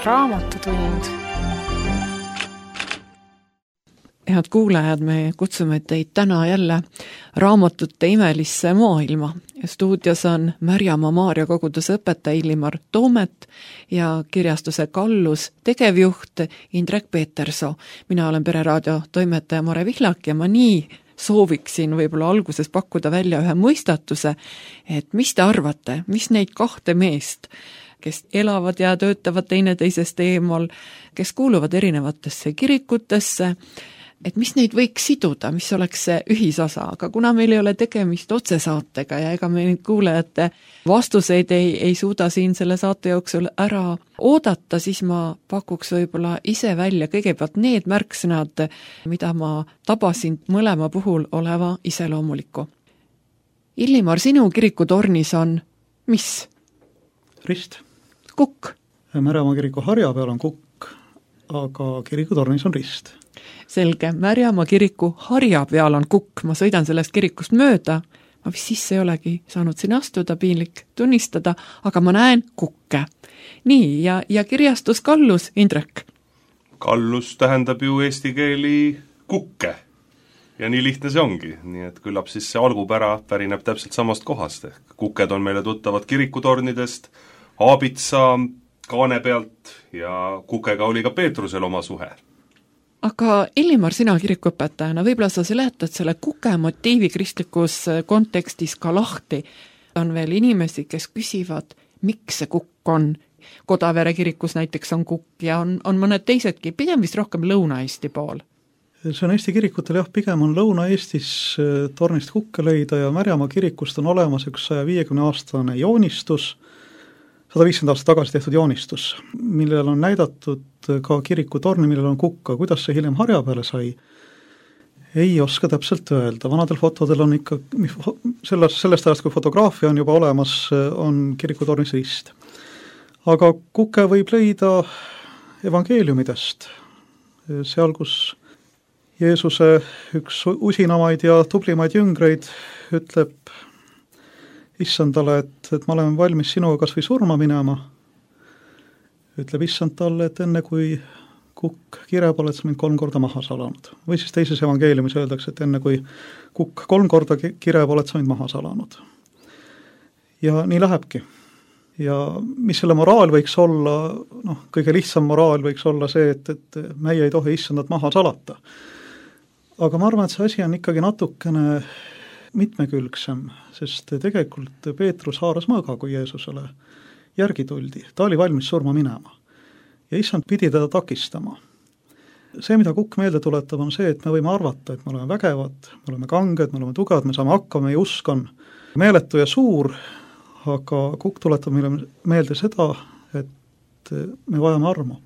Raamatutund. Head kuulajad, me kutsume teid täna jälle raamatute imelisse maailma. Stuudios on Märjamaa Maarja koguduse õpetaja Illimar Toomet ja kirjastuse Kallus tegevjuht Indrek Petersoo. Mina olen Pereraadio toimetaja Mare Vihlak ja ma nii sooviksin võib-olla alguses pakkuda välja ühe mõistatuse, et mis te arvate, mis neid kahte meest, kes elavad ja töötavad teineteisest eemal, kes kuuluvad erinevatesse kirikutesse, et mis neid võiks siduda, mis oleks see ühisosa, aga kuna meil ei ole tegemist otsesaatega ja ega me kuulajate vastuseid ei suuda siin selle saate jooksul ära oodata, siis ma pakuks võib-olla ise välja kõigepealt need märksõnad, mida ma tabasin mõlema puhul oleva iseloomuliku. Illimar, sinu kirikutornis on mis? Rist. Kukk. Märjamaa kiriku harja peal on kukk, aga kirikutornis on rist. Selge, Märjamaa kiriku harja peal on kukk, ma sõidan sellest kirikust mööda, ma vist sisse ei olegi saanud sinna astuda, piinlik tunnistada, aga ma näen kukke. Nii, ja kirjastus Kallus, Indrek? Kallus tähendab ju eesti keeli kukke ja nii lihtne see ongi, nii et küllap siis see algupära pärineb täpselt samast kohast, ehk kuked on meile tuttavad kirikutornidest, Aabitsa kaane pealt ja kukega oli ka Peetrusel oma suhe. Aga Illimar, sina kirikuõpetajana, võib-olla sa seletad selle kuke motiivi kristlikus kontekstis ka lahti. On veel inimesi, kes küsivad, miks see kukk on. Kodavere kirikus näiteks on kukk ja on mõned teisedki, pigem vist rohkem Lõuna-Eesti pool. See on Eesti kirikutel, jah, pigem on Lõuna-Eestis tornist kukke leida ja Märjamaa kirikust on olemas üks 150-aastane joonistus, 150 aastat tagasi tehtud joonistus, millel on näidatud ka kirikutorni, millel on kukka. Kuidas see hiljem harja peale sai, ei oska täpselt öelda. Vanadel fotodel on ikka, sellest ajast, kui fotograafia on juba olemas, on kirikutornis rist. Aga kuke võib leida evangeeliumidest, seal, kus Jeesuse üks usinamaid ja tublimaid jüngreid ütleb issandale, et ma olen valmis sinuga kas või surma minema, ütleb issand talle, et enne kui kukk kireb, oled sa mind 3 korda maha salanud. Või siis teises evangeeliumis öeldakse, et enne kui kukk 3 korda kireb, oled sa mind maha salanud. Ja nii lähebki. Ja mis selle moraal võiks olla, kõige lihtsam moraal võiks olla see, et meie ei tohi issandat maha salata. Aga ma arvan, et see asi on ikkagi natukene mitmekülgsem, sest tegelikult Peetrus haaras mõõga, kui Jeesusele järgi tuldi. Ta oli valmis surma minema ja issand pidi teda takistama. See, mida kukk meelde tuletab, on see, et me võime arvata, et me oleme vägevad, me oleme kanged, me oleme tugevad, me saame hakkama, meie usk on meeletu ja suur, aga kukk tuletab meile meelde seda, et me vajame armu.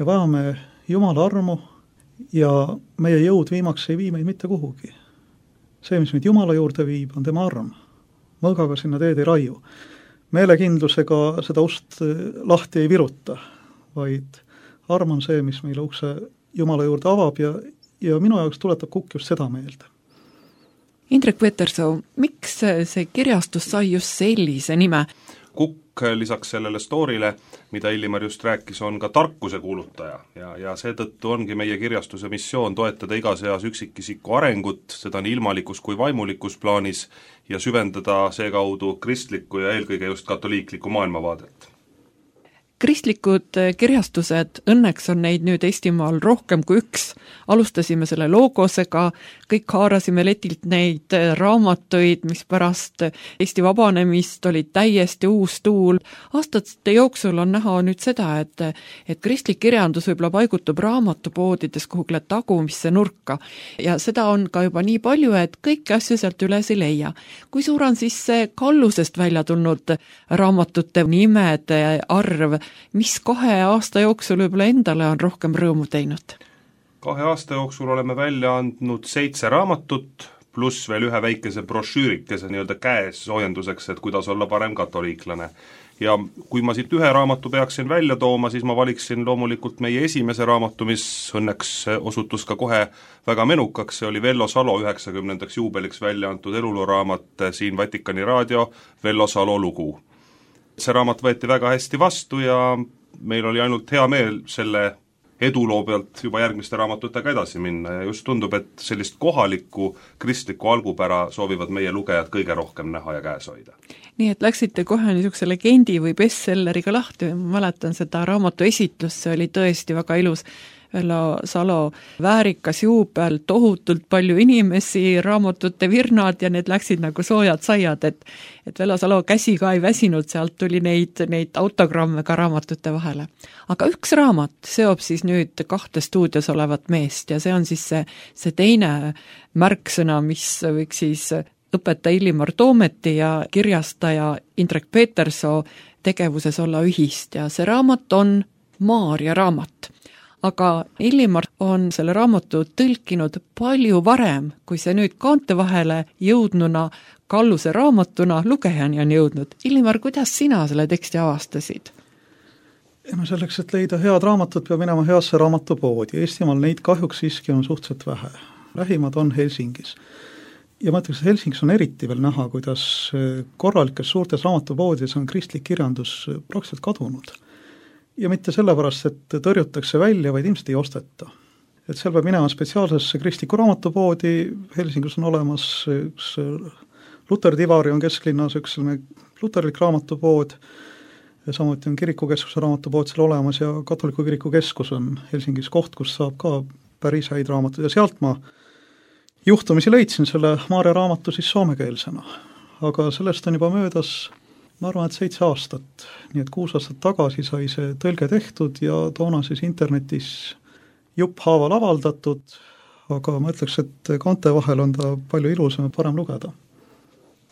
Me vajame Jumala armu ja meie jõud viimaks ei vii meid mitte kuhugi. See, mis meid Jumala juurde viib, on tema arm. Mõõgaga sinna teed ei raiu. Meelekindlusega seda ust lahti ei viruta, vaid arm on see, mis meile ukse Jumala juurde avab ja minu jaoks tuletab kukk just seda meelde. Indrek Petersoo, miks see kirjastus sai just sellise nime? Kukk lisaks sellele stoorile, mida Illimar just rääkis, on ka tarkuse kuulutaja ja seetõttu ongi meie kirjastuse missioon toetada igas eas üksikisiku arengut, seda nii ilmalikus kui vaimulikus plaanis ja süvendada seekaudu kristlikku ja eelkõige just katoliiklikku maailmavaadet. Kristlikud kirjastused, õnneks on neid nüüd Eestimaal rohkem kui üks. Alustasime selle logosega, kõik haarasime letilt neid raamatuid, mis pärast Eesti vabanemist oli täiesti uus tuul. Aastate jooksul on näha nüüd seda, et kristlik kirjandus võib-olla paigutub raamatupoodides kuhugile tagumisse nurka. Ja seda on ka juba nii palju, et kõiki asju sealt üles ei leia. Kui suur on siis see Kallusest välja tulnud raamatute nimede arv, mis 2 aasta jooksul võib-olla endale on rohkem rõõmu teinud? 2 aasta jooksul oleme välja andnud 7 raamatut, pluss veel ühe väikese brošüürikese nii-öelda käes soojenduseks, et kuidas olla parem katoliiklane. Ja kui ma siit ühe raamatu peaksin välja tooma, siis ma valiksin loomulikult meie esimese raamatu, mis õnneks osutus ka kohe väga menukaks, see oli Vello Salo 90. juubeliks välja antud eluloraamat siin Vatikani raadio Vello Salo lugu. See raamat võeti väga hästi vastu ja meil oli ainult hea meel selle eduloo pealt juba järgmiste raamatutega edasi minna ja just tundub, et sellist kohalikku kristlikku algupära soovivad meie lugejad kõige rohkem näha ja käes hoida. Nii et läksite kohe niisuguse legendi või bestselleriga lahti, ma mäletan seda raamatu esitlust, see oli tõesti väga ilus. Vello Salo väärikas juubel, tohutult palju inimesi, raamatute virnad ja need läksid nagu soojad saiad, et Vello Salo käsi ka ei väsinud, sealt tuli neid autogramme ka raamatute vahele. Aga üks raamat seob siis nüüd 2 stuudios olevat meest ja see on siis see teine märksõna, mis võiks siis õpetaja Illimar Toometi ja kirjastaja Indrek Petersoo tegevuses olla ühist ja see raamat on Maarja raamat. Aga Illimar on selle raamatu tõlkinud palju varem, kui see nüüd kaante vahele jõudnuna Kalluse raamatuna lugejani on jõudnud. Illimar, kuidas sina selle teksti avastasid? No selleks, et leida head raamatut, peab minema heasse raamatupoodi. Eestimaal neid kahjuks siiski on suhteliselt vähe. Lähimad on Helsingis. Ja ma ütleks, et Helsingis on eriti veel näha, kuidas korralikes suurtes raamatupoodides on kristlik kirjandus praktiliselt kadunud. Ja mitte sellepärast, et tõrjutakse välja, vaid ilmselt ei osteta. Et seal peab minema spetsiaalsesse kristliku raamatupoodi, Helsingis on olemas üks Luterdivari on kesklinnas, üks luterlik raamatupood, ja samuti on kirikukeskuse raamatupood seal olemas ja katoliku kiriku keskus on Helsingis koht, kus saab ka päris häid raamatud ja sealt ma juhtumisi leidsin selle Maarja raamatu siis soomekeelsena. Aga sellest on juba möödas ma arvan, et 7 aastat, nii et 6 aastat tagasi sai see tõlge tehtud ja toona siis internetis jupphaaval avaldatud, aga ma ütleks, et kaante vahel on ta palju ilusam ja parem lugeda.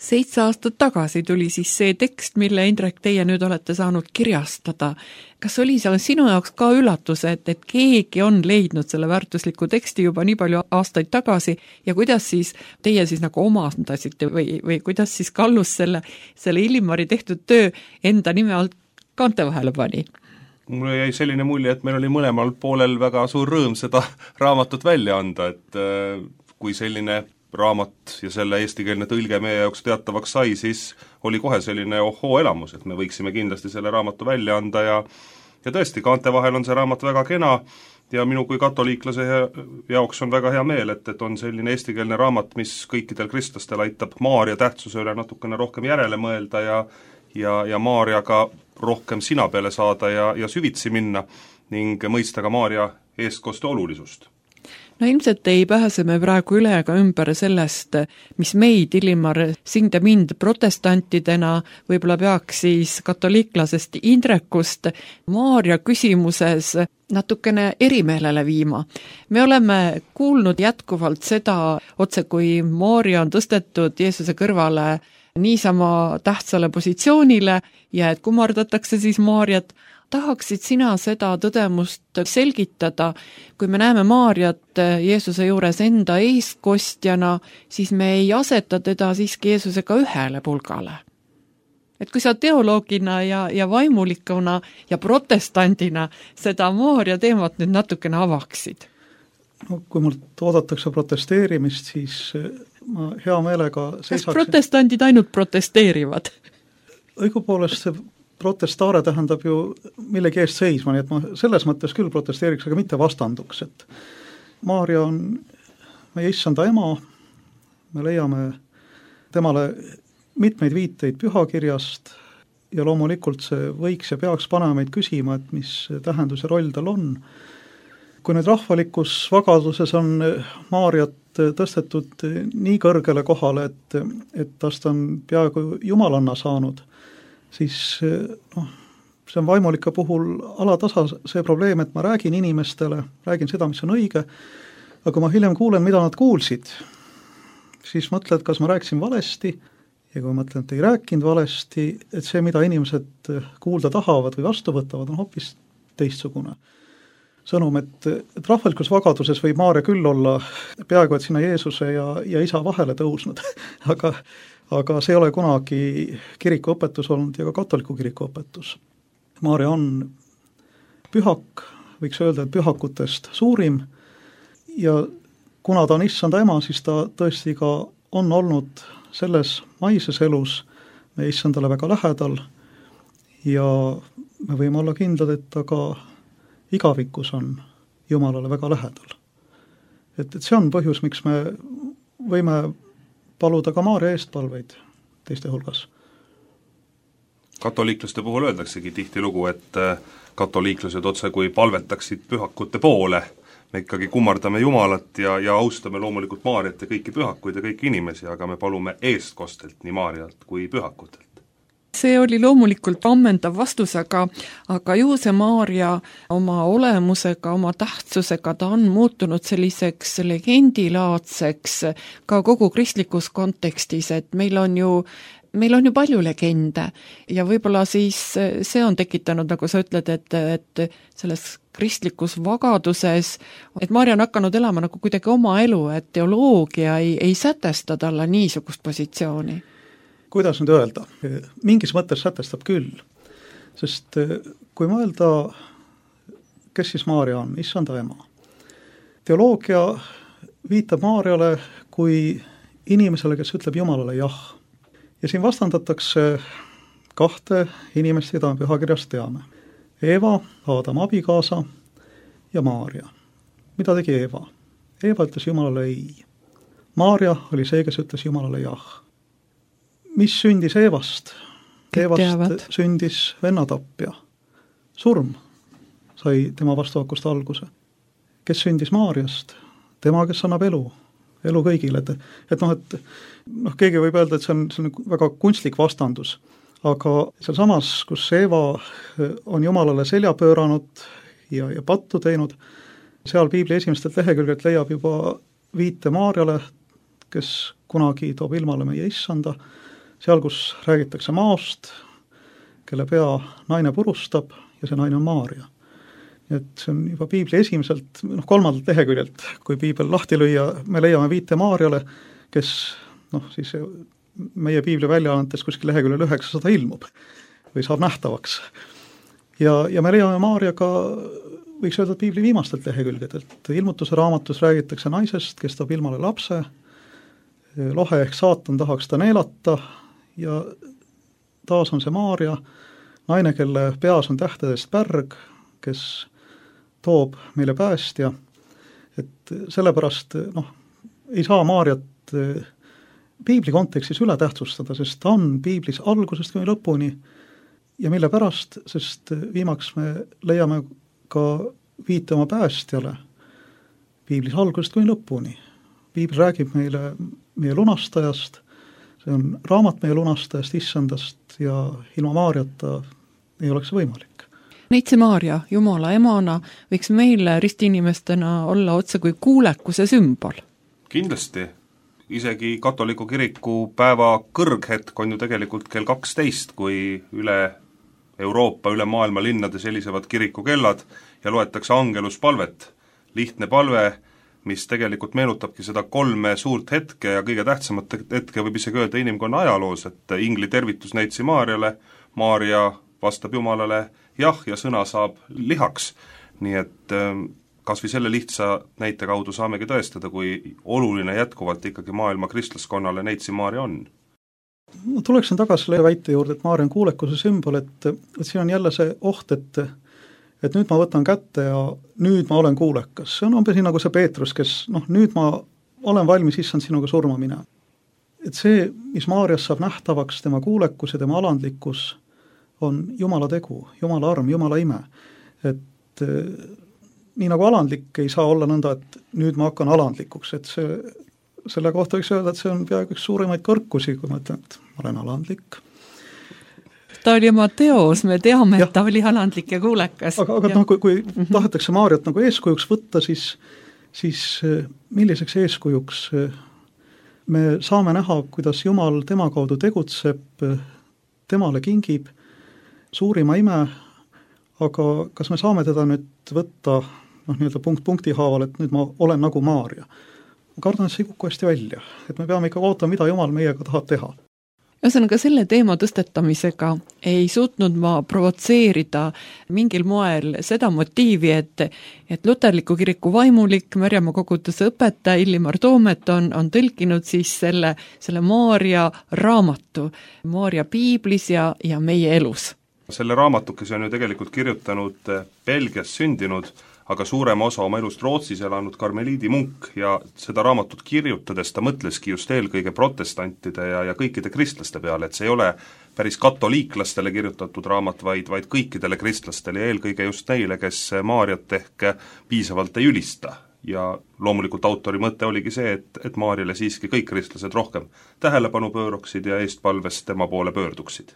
7 aastat tagasi tuli siis see tekst, mille Indrek teie nüüd olete saanud kirjastada. Kas oli see sinu jaoks ka üllatus, et keegi on leidnud selle väärtusliku teksti juba nii palju aastaid tagasi ja kuidas siis teie siis nagu omandasite või kuidas siis Kallus selle Illimari tehtud töö enda nime alt kaante vahele pani? Mulle jäi selline mulje, et meil oli mõlemal poolel väga suur rõõm seda raamatut välja anda, et kui selline raamat ja selle eestikeelne tõlge meie jaoks teatavaks sai, siis oli kohe selline ohoo elamus, et me võiksime kindlasti selle raamatu välja anda ja tõesti, kaante vahel on see raamat väga kena ja minu kui katoliiklase jaoks on väga hea meel, et on selline eestikeelne raamat, mis kõikidel kristlastel aitab Maarja tähtsuse üle natukene rohkem järele mõelda ja Maarjaga rohkem sina peale saada ja süvitsi minna ning mõista ka Maarja eestkoste olulisust. No ilmselt ei pääse me praegu üle ega ümber sellest, mis meid, Illimar, sind ja mind protestantidena võib-olla peaks siis katoliiklasest Indrekust Maarja küsimuses natukene erimeelele viima. Me oleme kuulnud jätkuvalt seda, otse kui Maarja on tõstetud Jeesuse kõrvale niisama tähtsale positsioonile ja et kummardatakse siis Maarjat. Tahaksid sina seda tõdemust selgitada, kui me näeme Maarjat Jeesuse juures enda eestkostjana, siis me ei aseta teda siiski Jeesusega ühele pulgale. Et kui sa teoloogina ja vaimulikuna ja protestandina seda Maarja teemat nüüd natukene avaksid? No, kui mult oodatakse protesteerimist, siis ma hea meelega seisaksin. Kas protestandid ainult protesteerivad? Õigupoolest see protestaare tähendab ju millegi eest seisma, nii et ma selles mõttes küll protesteeriks, aga mitte vastanduks, et Maarja on meie issanda ema, me leiame temale mitmeid viiteid pühakirjast ja loomulikult see võiks ja peaks panema meid küsima, et mis tähendus ja roll tal on. Kui nüüd rahvalikus vagaduses on Maarjat tõstetud nii kõrgele kohale, et tast on peaaegu jumalanna saanud, siis see on vaimulike puhul alatasa see probleem, et ma räägin inimestele, räägin seda, mis on õige, aga ma hiljem kuulen, mida nad kuulsid, siis mõtled, kas ma rääkisin valesti ja kui mõtlen, et ei rääkinud valesti, et see, mida inimesed kuulda tahavad või vastu võtavad, on hoopis teistsugune sõnum, et rahvalikus vagaduses võib Maarja küll olla peaaegu, et sinna Jeesuse ja isa vahele tõusnud, aga see ei ole kunagi kiriku õpetus olnud ja ka katoliku kiriku õpetus. Maarja on pühak, võiks öelda, et pühakutest suurim ja kuna ta on issanda ema, siis ta tõesti ka on olnud selles maises elus meie issandale väga lähedal ja me võime olla kindlad, et ta ka igavikus on Jumalale väga lähedal. Et see on põhjus, miks me võime paluda ka Maarja eestpalveid teiste hulgas. Katoliiklaste puhul öeldaksegi tihtilugu, et katoliiklased otse kui palvetaksid pühakute poole, me ikkagi kummardame Jumalat ja austame loomulikult Maarjat ja kõiki pühakuid ja kõiki inimesi, aga me palume eestkostelt nii Maarjalt kui pühakutelt. See oli loomulikult ammendav vastus, aga Joose Maarja oma olemusega, oma tähtsusega, ta on muutunud selliseks legendilaadseks ka kogu kristlikus kontekstis, et meil on ju palju legende ja võib-olla siis see on tekitanud, nagu sa ütled, et selles kristlikus vagaduses, et Maarja on hakanud elama nagu kuidagi oma elu, et teoloogia ei sätesta talle niisugust positsiooni. Kuidas nüüd öelda? Mingis mõttes sätestab küll, sest kui mõelda, kes siis Maarja on, issanda ema. Teoloogia viitab Maarjale kui inimesele, kes ütleb Jumalale jah. Ja siin vastandatakse kahte inimest, keda me pühakirjast teame. Eeva, Aadama abikaasa ja Maarja. Mida tegi Eeva? Eeva ütles Jumalale ei. Maarja oli see, kes ütles Jumalale jah. Mis sündis Eevast? Eevast sündis vennatapja. Surm sai tema vastuhakust alguse. Kes sündis Maarjast? Tema, kes annab elu kõigile. Et keegi võib öelda, et see on väga kunstlik vastandus, aga seal samas, kus Eeva on Jumalale selja pööranud ja pattu teinud, seal Piibli esimestelt lehekülgelt leiab juba viite Maarjale, kes kunagi toob ilmale meie issanda, seal, kus räägitakse maost, kelle pea naine purustab ja see naine on Maarja. Et see on juba Piibli esimeselt, 3. leheküljelt, kui Piibel lahti lüüa, me leiame viite Maarjale, kes siis meie Piibli väljaannetes kuskil leheküljel 900 ilmub või saab nähtavaks. Ja me leiame Maarja ka, võiks öelda, Piibli viimastelt lehekülgedelt. Ilmutuse raamatus räägitakse naisest, kes toob ilmale lapse, lohe ehk saatan tahaks ta neelata ja taas on see Maarja, naine, kelle peas on tähtedest pärg, kes toob meile päästja, et sellepärast ei saa Maarjat Piibli kontekstis üle tähtsustada, sest ta on Piiblis algusest kuni lõpuni ja mille pärast, sest viimaks me leiame ka viite oma päästjale Piiblis algusest kuni lõpuni. Piibel räägib meile meie lunastajast, see on raamat meie lunastajast, issandast ja ilma Maarjata ei oleks võimalik. Neitsi Maarja, Jumala emana, võiks meile ristiinimestena olla otse kui kuulekuse sümbol? Kindlasti. Isegi katoliku kiriku päeva kõrghetk on ju tegelikult kell 12, kui üle Euroopa, üle maailma linnades helisevad kirikukellad ja loetakse angeluspalvet. Lihtne palve, mis tegelikult meenutabki seda 3 suurt hetke ja kõige tähtsamat hetke võib isegi öelda inimkonna ajaloos, et ingli tervitus Neitsi Maarjale, Maarja vastab Jumalale jah ja sõna saab lihaks. Nii et kas või selle lihtsa näite kaudu saamegi tõestada, kui oluline jätkuvalt ikkagi maailma kristlaskonnale Neitsi Maarja on. Ma tuleksin tagasi selle väite juurde, et Maarja on kuulekuse sümbol, et siin on jälle see oht, et nüüd ma võtan kätte ja nüüd ma olen kuulekas. See on umbes nagu see Peetrus, kes nüüd ma olen valmis issand sinuga surma minema. Et see, mis Maarjas saab nähtavaks, tema kuulekus ja tema alandlikkus on Jumala tegu, Jumala arm, Jumala ime. Et nii nagu alandlik ei saa olla nõnda, et nüüd ma hakkan alandlikuks, et selle kohta võiks öelda, et see on peaaegu üks suurimaid kõrkusi, kui ma ütlen, et ma olen alandlik. Ta oli oma teos, me teame, et ta oli alandlik ja kuulekas. Aga kui tahetakse Maarjat nagu eeskujuks võtta, siis milliseks eeskujuks me saame näha, kuidas Jumal tema kaudu tegutseb, temale kingib suurima ime, aga kas me saame teda nüüd võtta nii-öelda punkti haaval, et nüüd ma olen nagu Maarja. Ma kardan, et see ei kuku hästi välja, et me peame ikka ootama, mida Jumal meiega tahab teha. Ühesõnaga selle teema tõstetamisega ei suutnud ma provotseerida mingil moel seda motiivi, et luterliku kiriku vaimulik Märjamaa koguduse õpetaja Illimar Toomet on tõlkinud siis selle Maarja raamatu Maarja piiblis ja meie elus. selle raamatukese on ju tegelikult kirjutanud Belgias sündinud, aga suurema osa oma elust Rootsis elanud karmeliidi munk ja seda raamatut kirjutades ta mõtleski just eelkõige protestantide ja kõikide kristlaste peale, et see ei ole päris katoliiklastele kirjutatud raamat, vaid kõikidele kristlastele ja eelkõige just neile, kes Maarjat ehk piisavalt ei ülista. Ja loomulikult autori mõte oligi see, et Maarjale siiski kõik kristlased rohkem tähelepanu pööruksid ja eestpalvest tema poole pöörduksid.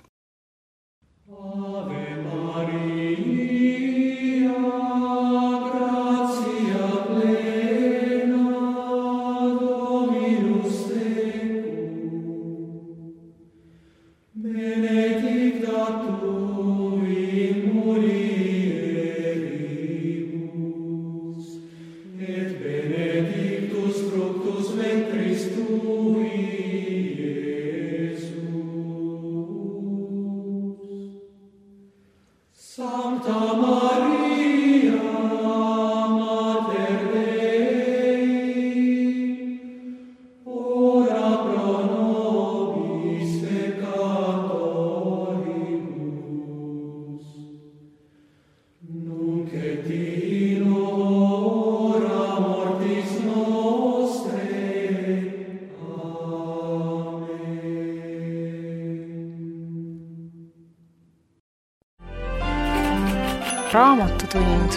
Raamatutund.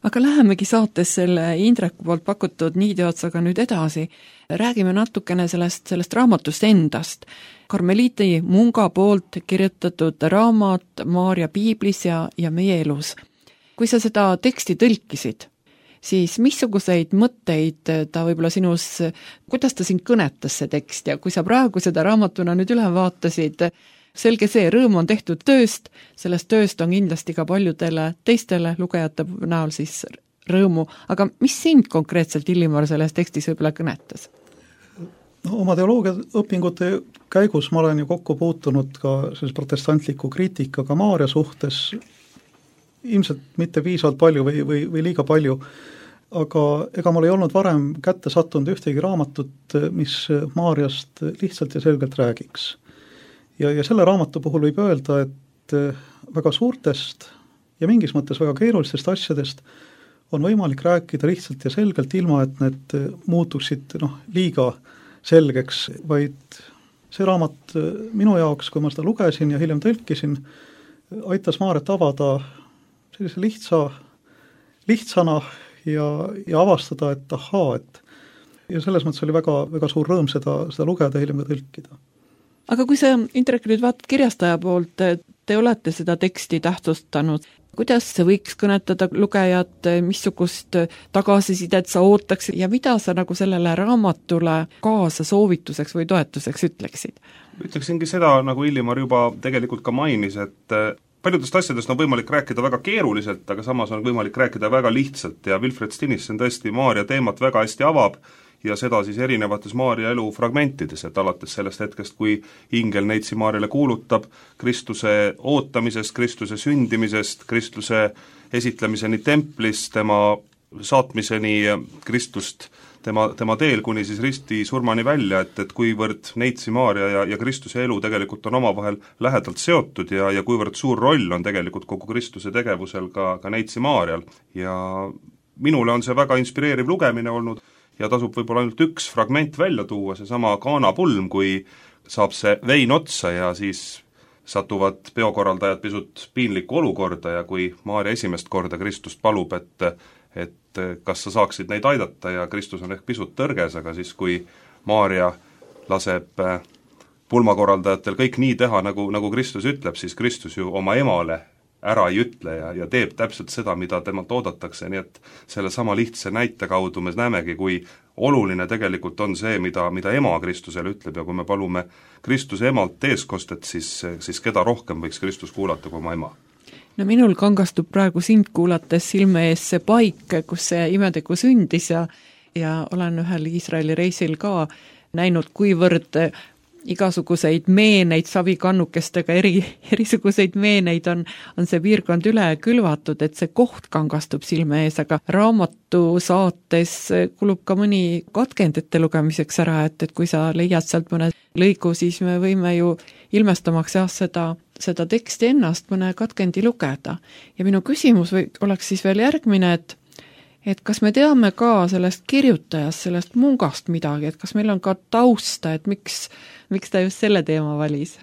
Aga lähemegi saates selle Indreku poolt pakutud niidiotsaga nüüd edasi. Räägime natukene sellest raamatust endast. Karmeliiti munga poolt kirjutatud raamat Maarja piiblis ja meie elus. Kui sa seda teksti tõlkisid, siis missuguseid mõtteid ta võib-olla sinus, kuidas ta sind kõnetas see tekst ja kui sa praegu seda raamatuna nüüd üle vaatasid, selge see, rõõm on tehtud tööst, sellest tööst on kindlasti ka paljudele teistele lugejate näol siis rõõmu, aga mis sind konkreetselt, Illimar, selles tekstis võib-olla kõnetas? No, oma teoloogiaõpingute käigus ma olen ju kokku puutunud ka selles protestantliku kriitikaga Maarja suhtes, ilmselt mitte piisavalt palju või liiga palju, aga ega mul ei olnud varem kätte sattunud ühtegi raamatut, mis Maarjast lihtsalt ja selgelt räägiks. Ja selle raamatu puhul võib öelda, et väga suurtest ja mingis mõttes väga keerulistest asjadest on võimalik rääkida lihtsalt ja selgelt, ilma et need muutuksid liiga selgeks, vaid see raamat minu jaoks, kui ma seda lugesin ja hiljem tõlkisin, aitas Maarjat avada sellise lihtsana ja avastada, et ahaa, ja selles mõttes oli väga, väga suur rõõm seda lugeda ja hiljem ka tõlkida. Aga kui sa Indrek nüüd vaatad kirjastaja poolt, te olete seda teksti tähtsustanud, kuidas see võiks kõnetada lugejat, missugust tagasisidet sa ootaks ja mida sa nagu sellele raamatule kaasa soovituseks või toetuseks ütleksid? Ütleksingi seda, nagu Illimar juba tegelikult ka mainis, et paljudest asjadest on võimalik rääkida väga keeruliselt, aga samas on võimalik rääkida väga lihtsalt ja Wilfred Stinnisen tõesti Maarja teemat väga hästi avab ja seda siis erinevates Maarja elu fragmentides, et alates sellest hetkest, kui ingel neitsi Maarjale kuulutab, Kristuse ootamisest, Kristuse sündimisest, Kristuse esitlemiseni templis, tema saatmiseni Kristust tema teel kuni siis risti surmani välja, et kuivõrd neitsi Maarja ja Kristuse elu tegelikult on omavahel lähedalt seotud ja kuivõrd suur roll on tegelikult kogu Kristuse tegevusel ka neitsi Maarjal. Ja minule on see väga inspireeriv lugemine olnud ja tasub võib-olla ainult üks fragment välja tuua, seesama kaanapulm, kui saab see vein otsa ja siis satuvad peokorraldajad pisut piinlikku olukorda ja kui Maarja esimest korda Kristust palub, et kas sa saaksid neid aidata ja Kristus on ehk pisut tõrges, aga siis kui Maarja laseb pulmakorraldajatel kõik nii teha, nagu Kristus ütleb, siis Kristus ju oma emale ära ei ütle ja teeb täpselt seda, mida temalt oodatakse, nii et selle sama lihtsa näite kaudu me näemegi, kui oluline tegelikult on see, mida ema Kristusele ütleb ja kui me palume Kristuse emalt eeskostet, siis keda rohkem võiks Kristus kuulata kui oma ema. No minul kangastub praegu sind kuulates silme ees see paik, kus see imetegu sündis ja olen ühel Iisraeli reisil ka näinud, kuivõrd igasuguseid meeneid, savikannukestega erisuguseid meeneid on see piirkond üle külvatud, et see koht kangastub silme ees, aga raamatu saates kulub ka mõni katkend ette lugemiseks ära, et kui sa leiad sealt mõne lõigu, siis me võime ju ilmestamaks seda teksti ennast mõne katkendi lugeda. Ja minu küsimus oleks siis veel järgmine, et kas me teame ka sellest kirjutajast, sellest Mungast midagi, et kas meil on ka tausta, et miks ta just selle teema valis?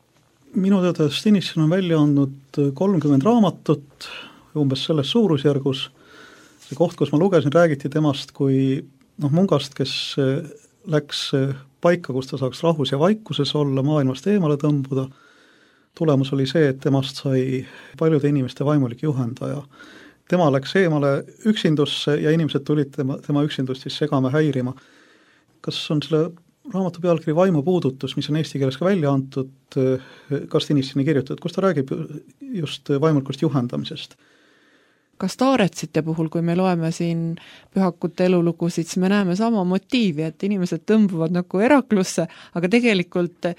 Minu teada Stinisson on välja andnud 30 raamatut, umbes selles suurusjärgus. See koht, kus ma lugesin, räägiti temast kui Mungast, kes läks paika, kus ta saaks rahus ja vaikuses olla, maailmast eemale tõmbuda. Tulemus oli see, et temast sai paljude inimeste vaimulik juhendaja. Tema läks eemale üksindusse ja inimesed tulid tema üksindust siis segama, häirima. Kas on selle raamatu pealkiri Vaimupuudutus, mis on eesti keeles ka välja antud, ka Stinissoni kirjutatud, kus ta räägib just vaimulikust juhendamisest? Ka Staaretsite puhul, kui me loeme siin pühakute elulugusid, siis me näeme sama motiivi, et inimesed tõmbuvad nagu eraklusse, aga tegelikult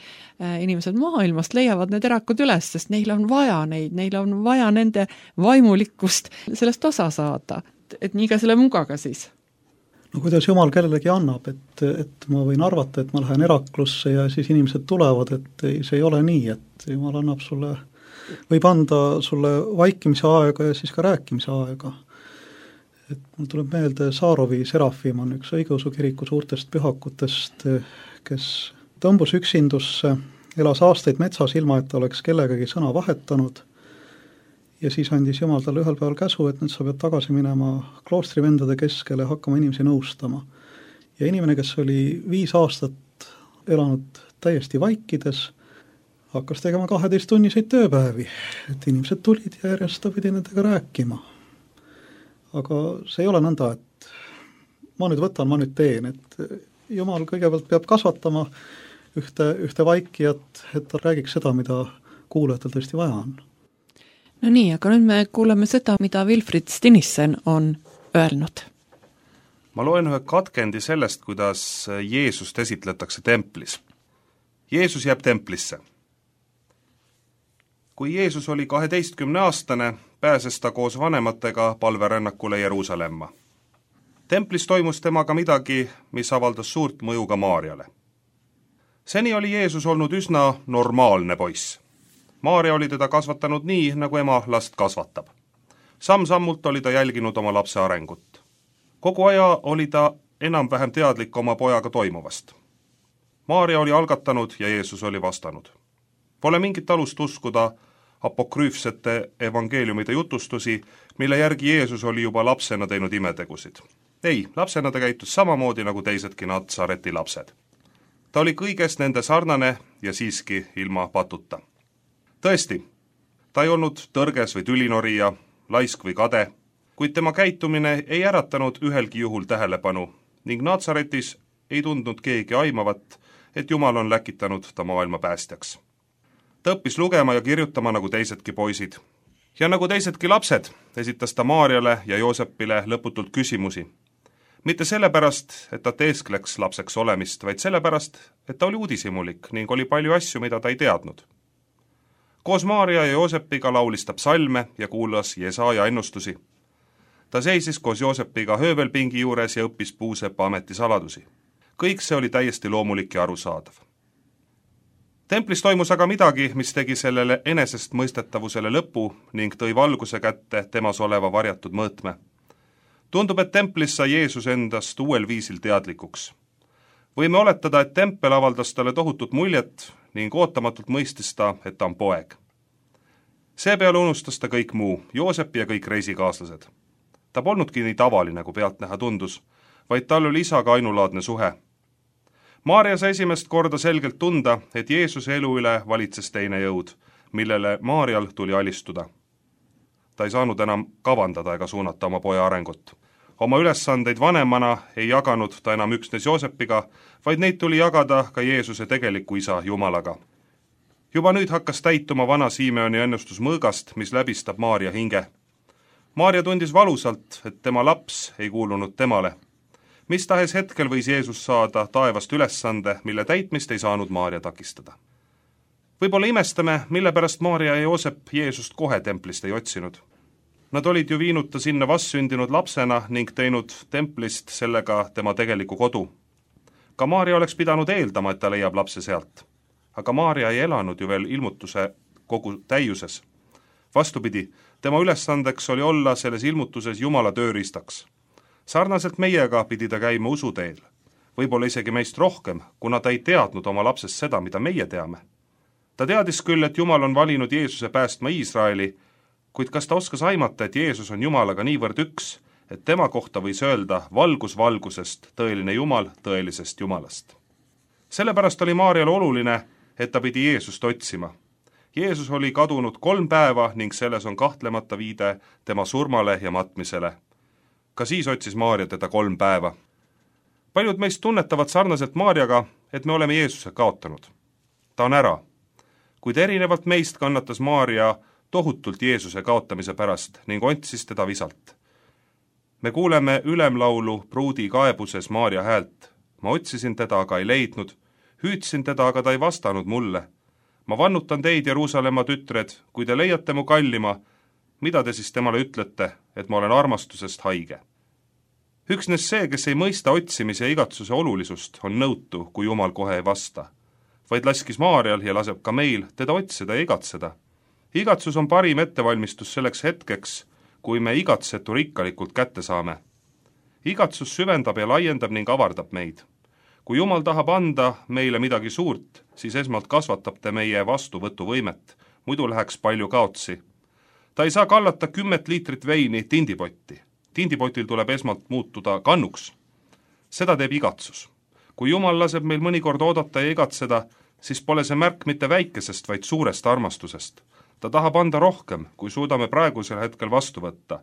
inimesed maailmast leiavad need erakud üles, sest neil on vaja neid, neil on vaja nende vaimulikkust sellest osa saada. Et nii ka selle Mungaga siis. No kuidas Jumal kellelegi annab, et ma võin arvata, et ma lähen eraklusse ja siis inimesed tulevad, et see ei ole nii, et Jumal annab sulle võib anda sulle vaikimise aega ja siis ka rääkimise aega. Et mul tuleb meelde Saarovi Serafim on üks õigeusu kiriku suurtest pühakutest, kes tõmbus üksindusse, elas aastaid metsas ilma, et ta oleks kellegagi sõna vahetanud ja siis andis Jumal talle ühel päeval käsu, et nüüd sa pead tagasi minema kloostrivendade keskele ja hakkama inimesi nõustama. Ja inimene, kes oli 5 aastat elanud täiesti vaikides, hakkas tegema 12-tunniseid tööpäevi, et inimesed tulid ja järjest ta pidi nendega rääkima. Aga see ei ole nõnda, et ma nüüd võtan, ma nüüd teen, et Jumal kõigepealt peab kasvatama ühte vaikijat, et ta räägiks seda, mida kuulajatel tõesti vaja on. No nii, aga nüüd me kuuleme seda, mida Wilfrid Stinisson on öelnud. Ma loen ühe katkendi sellest, kuidas Jeesust esitletakse templis. Jeesus jääb templisse. Kui Jeesus oli 12-aastane, pääses ta koos vanematega palverännakule Jeruusalemma. Templis toimus temaga midagi, mis avaldas suurt mõju ka Maarjale. Seni oli Jeesus olnud üsna normaalne poiss. Maarja oli teda kasvatanud nii, nagu ema last kasvatab. Samm-sammult oli ta jälginud oma lapse arengut. Kogu aja oli ta enam-vähem teadlik oma pojaga toimuvast. Maarja oli algatanud ja Jeesus oli vastanud. Pole mingit alust uskuda apokrüüfsete evangeeliumide jutustusi, mille järgi Jeesus oli juba lapsena teinud imetegusid. Ei, lapsena ta käitus samamoodi nagu teisedki Natsareti lapsed. Ta oli kõigest nende sarnane ja siiski ilma patuta. Tõesti, ta ei olnud tõrges või tülinorija, laisk või kade, kuid tema käitumine ei äratanud ühelgi juhul tähelepanu ning Natsaretis ei tundnud keegi aimavat, et Jumal on läkitanud ta maailma päästjaks. Ta õppis lugema ja kirjutama nagu teisedki poisid. Ja nagu teisedki lapsed, esitas ta Maarjale ja Joosepile lõputult küsimusi. Mitte sellepärast, et ta teeskleks lapseks olemist, vaid sellepärast, et ta oli uudishimulik ning oli palju asju, mida ta ei teadnud. Koos Maarja ja Joosepiga laulis ta psalme ja kuulas Jesaja ennustusi. Ta seisis koos Joosepiga höövelpingi juures ja õppis puusepa ametisaladusi. Kõik see oli täiesti loomulik ja arusaadav. Templis toimus aga midagi, mis tegi sellele enesest mõistetavusele lõpu ning tõi valguse kätte temas oleva varjatud mõõtme. Tundub, et templis sai Jeesus endast uuel viisil teadlikuks. Võime oletada, et tempel avaldas talle tohutut muljet ning ootamatult mõistis ta, et ta on poeg. Seepeale unustas ta kõik muu, Joosep ja kõik reisikaaslased. Ta polnudki nii tavaline, kui pealtnäha tundus, vaid tal oli isaga ainulaadne suhe. Maarja sai esimest korda selgelt tunda, et Jeesuse elu üle valitses teine jõud, millele Maarjal tuli alistuda. Ta ei saanud enam kavandada ega suunata oma poja arengut. Oma ülesandeid vanemana ei jaganud ta enam üksnes Joosepiga, vaid neid tuli jagada ka Jeesuse tegeliku isa Jumalaga. Juba nüüd hakkas täituma vana Simeoni ennustus mõõgast, mis läbistab Maarja hinge. Maarja tundis valusalt, et tema laps ei kuulunud temale. Mis tahes hetkel võis Jeesus saada taevast ülesande, mille täitmist ei saanud Maarja takistada. Võib-olla imestame, mille pärast Maarja ja Joosep Jeesust kohe templist ei otsinud. Nad olid ju viinud ta sinna vastsündinud lapsena ning teinud templist sellega tema tegeliku kodu. Ka Maarja oleks pidanud eeldama, et ta leiab lapse sealt. Aga Maarja ei elanud ju veel ilmutuse kogu täiuses. Vastupidi, tema ülesandeks oli olla selles ilmutuses Jumala tööriistaks. Sarnaselt meiega pidi ta käima usuteel. Võib-olla isegi meist rohkem, kuna ta ei teadnud oma lapsest seda, mida meie teame. Ta teadis küll, et Jumal on valinud Jeesuse päästma Iisraeli, kuid kas ta oskas aimata, et Jeesus on Jumalaga niivõrd üks, et tema kohta võis öelda valgus valgusest, tõeline Jumal tõelisest Jumalast. Sellepärast oli Maarjale oluline, et ta pidi Jeesust otsima. Jeesus oli kadunud 3 päeva ning selles on kahtlemata viide tema surmale ja matmisele. Ka siis otsis Maarja teda 3 päeva. Paljud meist tunnetavad sarnaselt Maarjaga, et me oleme Jeesuse kaotanud. Ta on ära. Kuid erinevalt meist kannatas Maarja tohutult Jeesuse kaotamise pärast ning otsis teda visalt. Me kuuleme ülemlaulu pruudi kaebuses Maarja häält. Ma otsisin teda, aga ei leidnud. Hüüdsin teda, aga ta ei vastanud mulle. Ma vannutan teid, Jeruusalemma tütred, kui te leiate mu kallima, mida te siis temale ütlete, et ma olen armastusest haige? Üksnes see, kes ei mõista otsimise ja igatsuse olulisust, on nõutu, kui Jumal kohe ei vasta. Vaid laskis Maarjal ja laseb ka meil teda otsida ja igatseda. Igatsus on parim ettevalmistus selleks hetkeks, kui me igatsetu rikkalikult kätte saame. Igatsus süvendab ja laiendab ning avardab meid. Kui Jumal tahab anda meile midagi suurt, siis esmalt kasvatab ta meie vastuvõtuvõimet, muidu läheks palju kaotsi. Ta ei saa kallata 10 liitrit veini tindipotti. Tindipotil tuleb esmalt muutuda kannuks. Seda teeb igatsus. Kui Jumal laseb meil mõnikord oodata ja igatseda, siis pole see märk mitte väikesest, vaid suurest armastusest. Ta tahab anda rohkem, kui suudame praegusel hetkel vastu võtta.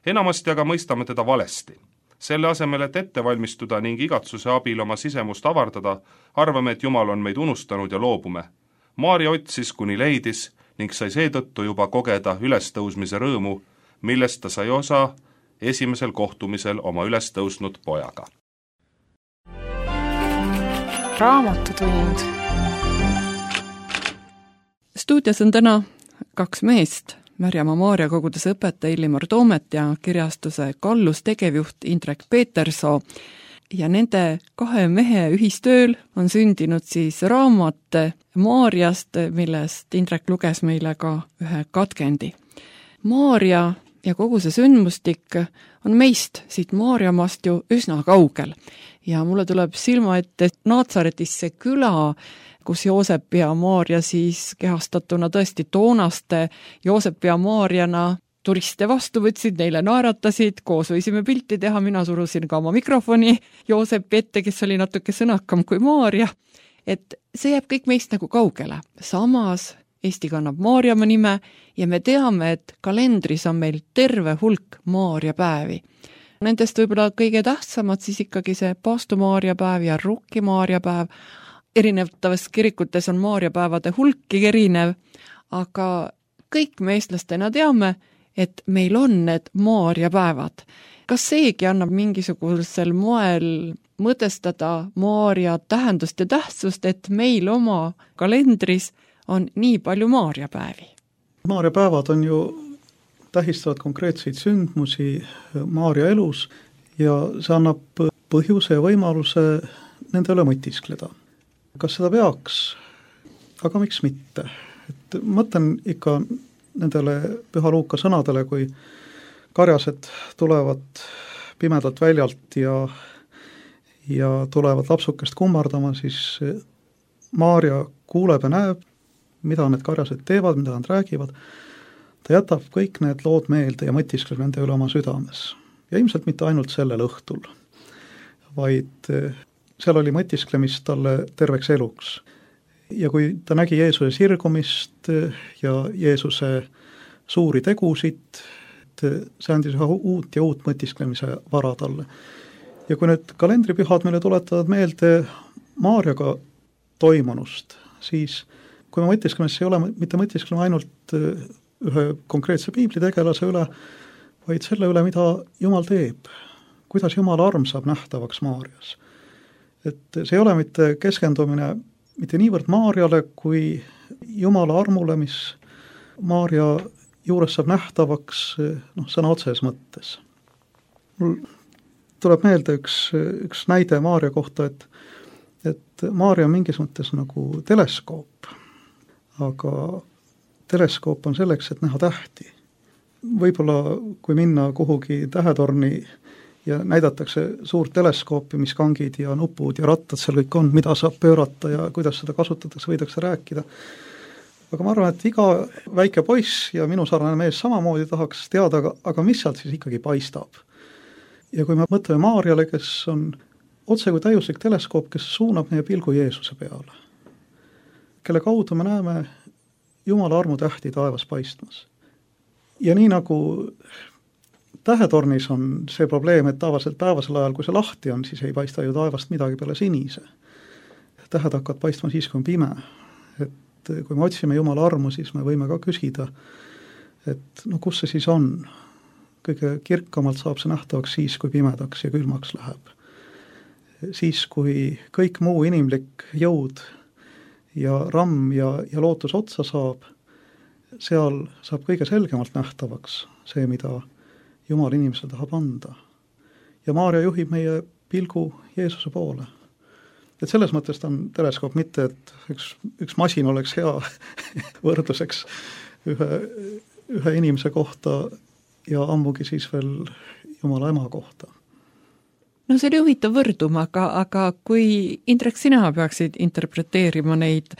Enamasti aga mõistame teda valesti. Selle asemel, et ette valmistuda ning igatsuse abil oma sisemust avardada, arvame, et Jumal on meid unustanud ja loobume. Maarja otsis, kuni leidis ning sai seetõttu juba kogeda ülestõusmise rõõmu, millest ta sai osa esimesel kohtumisel oma ülestõusnud pojaga. Raamatutund. Stuudios on täna 2 meest, Märjamaa Maarja koguduse õpetaja Illimar Toomet ja kirjastuse Kallus tegevjuht Indrek Petersoo. Ja nende 2 mehe ühistööl on sündinud siis raamat Maarjast, millest Indrek luges meile ka ühe katkendi. Maarja ja kogu see sündmustik on meist siit Maarjamaast ju üsna kaugel. Ja mulle tuleb silma ette Naatsaretis see küla, kus Joosep ja Maarja siis kehastatuna tõesti toonaste Joosep ja Maarjana turiste vastu võtsid, neile naeratasid, koos võisime pilti teha, mina surusin ka oma mikrofoni Joosepi ette, kes oli natuke sõnakam kui Maarja. Et see jääb kõik meist nagu kaugele. Samas Eesti kannab Maarjamaa nime ja me teame, et kalendris on meil terve hulk Maarja päevi. Nendest võib-olla kõige tähtsamad siis ikkagi see Paastu Maarja päev ja Rukki Maarja päev. Erinevates kirikutes on Maarja päevade hulki erinev, aga kõik me eestlastena teame, et meil on need Maarja päevad. Kas seegi annab mingisugusel moel mõtestada Maarja tähendust ja tähtsust, et meil oma kalendris on nii palju Maarja päevi? Maarja päevad on ju tähistavad konkreetseid sündmusi Maarja elus ja see annab põhjuse ja võimaluse nende üle mõtiskleda. Kas seda peaks? Aga miks mitte? Et mõtlen ikka nendele Püha Luuka sõnadele, kui karjased tulevad pimedalt väljalt ja tulevad lapsukest kummardama, siis Maarja kuuleb ja näeb, mida need karjased teevad, mida nad räägivad. Ta jätab kõik need lood meelde ja mõtiskleb nende üle oma südames. Ja ilmselt mitte ainult sellel õhtul, vaid seal oli mõtisklemist talle terveks eluks. Ja kui ta nägi Jeesuse sirgumist ja Jeesuse suuri tegusid, see andis ühe uut ja uut mõtisklemise vara talle. Ja kui need kalendripühad meile tuletavad meelde Maarjaga toimunust, siis kui me mõtiskleme, siis ei ole mitte mõtiskleme ainult ühe konkreetse piiblitegelase üle, vaid selle üle, mida Jumal teeb. kuidas Jumala arm saab nähtavaks Maarjas. Et see ei ole mitte keskendumine mitte niivõrd Maarjale, kui Jumala armule, mis Maarja juures saab nähtavaks sõna otses mõttes. Mul tuleb meelde üks näide Maarja kohta, et Maarja on mingis mõttes nagu teleskoop, aga teleskoop on selleks, et näha tähti. Võib-olla kui minna kuhugi tähetorni ja näidatakse suurt teleskoopi, mis kangid ja nupud ja rattad seal kõik on, mida saab pöörata ja kuidas seda kasutatakse, võidakse rääkida. Aga ma arvan, et iga väike poiss ja minu sarnane mees samamoodi tahaks teada, aga mis sealt siis ikkagi paistab. Ja kui me mõtleme Maarjale, kes on otse kui täiuslik teleskoop, kes suunab meie pilgu Jeesuse peale, kelle kaudu me näeme Jumala armutähti taevas paistmas. Ja nii nagu tähetornis on see probleem, et tavaliselt päevasel ajal, kui see lahti on, siis ei paista ju taevast midagi peale sinise. Tähed hakkavad paistma siis, kui on pime. Et kui me otsime Jumala armu, siis me võime ka küsida, et kus see siis on. Kõige kirkamalt saab see nähtavaks siis, kui pimedaks ja külmaks läheb. Siis, kui kõik muu inimlik jõud ja ramm ja lootus otsa saab, seal saab kõige selgemalt nähtavaks see, mida Jumal inimesele tahab anda. Ja Maarja juhib meie pilgu Jeesuse poole. Et selles mõttes ta on teleskoop, mitte et üks masin oleks hea võrdluseks ühe inimese kohta ja ammugi siis veel Jumala ema kohta. No see oli huvitav võrdum, aga kui Indrek, sina peaksid interpreteerima neid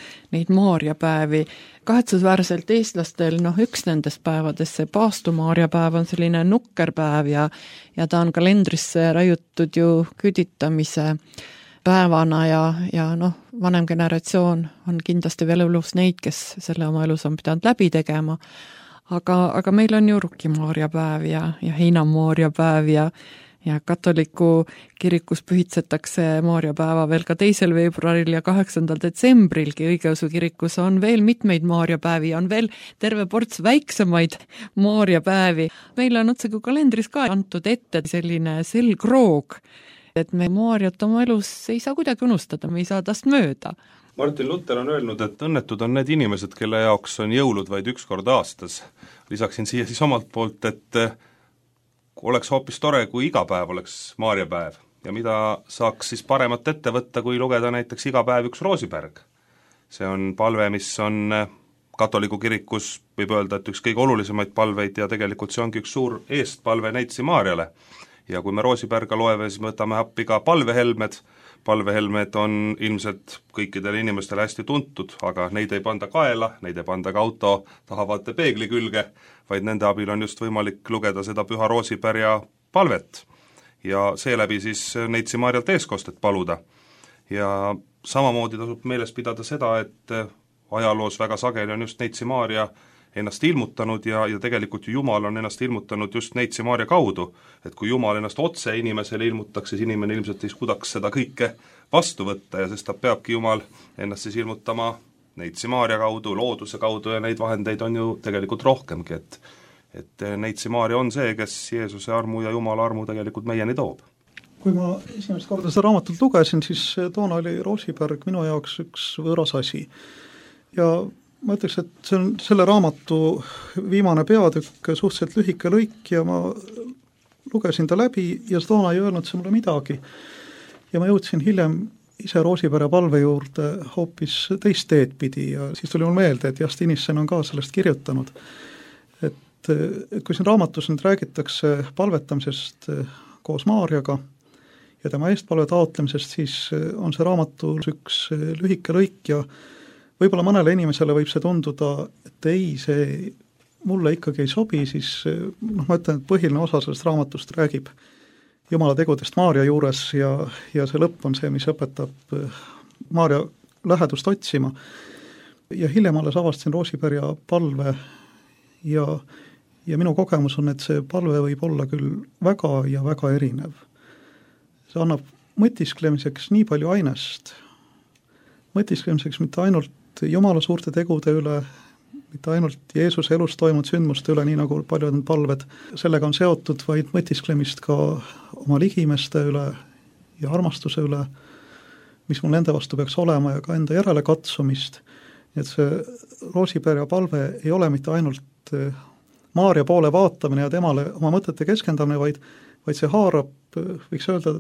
Maarja päevi, kahetsusväärselt eestlastel, üks nendest päevadest, see Paastu Maarja päev on selline nukkerpäev ja ta on kalendrisse raiutud ju küüditamise päevana ja vanem generatsioon on kindlasti veel elus neid, kes selle oma elus on pidanud läbi tegema, aga meil on ju Rukki Maarja päev ja Heina Maarja päev ja katoliku kirikus pühitsetakse Maarja päeva veel ka 2. veebruaril ja 8. detsembril. Õigeusu kirikus on veel mitmeid Maarja päevi, on veel terve ports väiksemaid Maarja päevi. Meil on otsekui kalendris ka antud ette selline selgroog, et me Maarjat oma elus ei saa kuidagi unustada, me ei saa tast mööda. Martin Luther on öelnud, et õnnetud on need inimesed, kelle jaoks on jõulud vaid üks kord aastas. Lisaksin siia siis omalt poolt, et oleks hoopis tore, kui iga päev oleks Maarja päev ja mida saaks siis paremat ette võtta, kui lugeda näiteks iga päev üks roosipärg. See on palve, mis on katoliku kirikus, võib öelda, et üks kõige olulisemaid palveid ja tegelikult see ongi üks suur eestpalve Neitsi Maarjale. Ja kui me roosipärga loeme, siis me võtame appi ka palvehelmed. Palvehelmed on ilmselt kõikidele inimestele hästi tuntud, aga neid ei panda kaela, neid ei panda ka auto tahavate peegli külge, vaid nende abil on just võimalik lugeda seda püha roosipärja palvet ja seeläbi siis Neitsi Maarjalt eeskostet paluda. Ja samamoodi tasub meeles pidada seda, et ajaloos väga sageli on just Neitsi Maarja ennast ilmutanud ja tegelikult ju Jumal on ennast ilmutanud just Neitsi Maarja kaudu, et kui Jumal ennast otse inimesele ilmutaks, siis inimene ilmselt ei suudaks seda kõike vastu võtta ja sest ta peabki Jumal ennast siis ilmutama Neitsi Maarja kaudu, looduse kaudu ja neid vahendeid on ju tegelikult rohkemgi, et Neitsi Maarja on see, kes Jeesuse armu ja Jumala armu tegelikult meieni toob. Kui ma esimest korda seda raamatut lugesin, siis toona oli roosipärg minu jaoks üks võõras asi ja ma ütleks, et see on selle raamatu viimane peatükk, suhteliselt lühike lõik ja ma lugesin ta läbi ja toona ei öelnud see mulle midagi. Ja ma jõudsin hiljem ise roosipärja palve juurde hoopis teist teed pidi ja siis tuli mul meelde, et Just Inissen on ka sellest kirjutanud. Et kui siin raamatus nüüd räägitakse palvetamisest koos Maarjaga ja tema eestpalve taotlemisest, siis on see raamatus üks lühike lõik ja võib-olla mõnele inimesele võib see tunduda, et ei, see mulle ikkagi ei sobi, siis ma ütlen, et põhiline osa sellest raamatust räägib Jumala tegudest Maarja juures ja see lõpp on see, mis õpetab Maarja lähedust otsima. Ja hiljem alles avastasin roosipärja palve ja minu kogemus on, et see palve võib olla küll väga ja väga erinev. See annab mõtisklemiseks nii palju ainest, mõtisklemiseks mitte ainult Jumala suurte tegude üle, mitte ainult Jeesuse elus toimunud sündmuste üle, nii nagu paljud on palved, sellega on seotud, vaid mõtisklemist ka oma ligimeste üle ja armastuse üle, mis mul nende vastu peaks olema ja ka enda järele katsumist. Nii et see Roosipere palve ei ole mitte ainult Maarja poole vaatamine ja temale oma mõtete keskendamine, vaid see haarab, võiks öelda,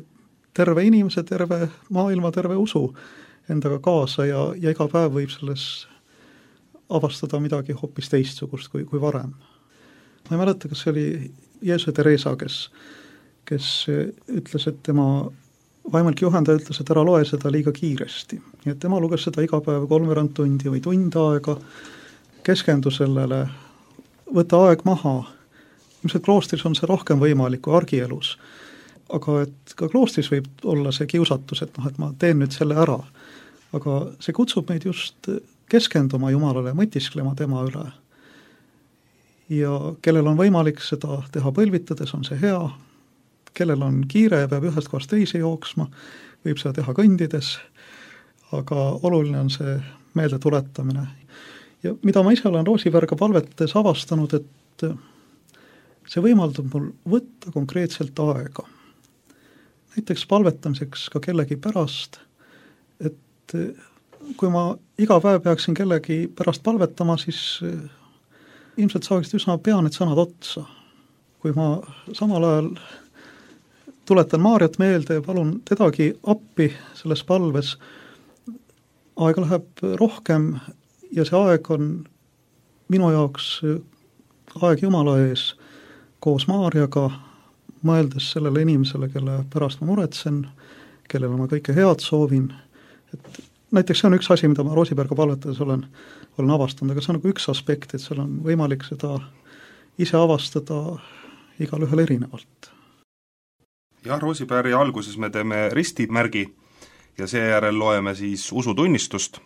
terve inimese, terve maailma, terve usu endaga kaasa ja iga päev võib selles avastada midagi hoopis teistsugust kui varem. Ma ei mäleta, kas see oli Jeesuse Teresa, kes ütles, et tema vaimulik juhendaja ütles, et ära loe seda liiga kiiresti. Nii et tema luges seda iga päev 3/4 tundi või tund aega, keskendu sellele, võta aeg maha. Ilmselt kloostris on see rohkem võimalik kui argielus. Aga et ka kloostris võib olla see kiusatus, et ma teen nüüd selle ära. Aga see kutsub meid just keskenduma Jumalale, mõtisklema tema üle. Ja kellel on võimalik seda teha põlvitades, on see hea. Kellel on kiire ja peab ühest kohast teise jooksma, võib seda teha kõndides, aga oluline on see meelde tuletamine. Ja mida ma ise olen Roosipärga palvetes avastanud, et see võimaldab mul võtta konkreetselt aega. Näiteks palvetamiseks ka kellegi pärast, et kui ma iga päev peaksin kellegi pärast palvetama, siis ilmselt saaksid üsna pea need sõnad otsa. Kui ma samal ajal tuletan Maarjat meelde ja palun tedagi appi selles palves, aega läheb rohkem ja see aeg on minu jaoks aeg Jumala ees koos Maarjaga, mõeldes sellele inimesele, kelle pärast ma muretsen, kellele ma kõike head soovin. Et näiteks see on üks asi, mida ma Roosipärga palvetades olen avastanud, aga see on nagu üks aspekt, et seal on võimalik seda ise avastada igal ühel erinevalt. Jah, Roosipärgi alguses me teeme ristimärgi ja seejärel loeme siis usutunnistust,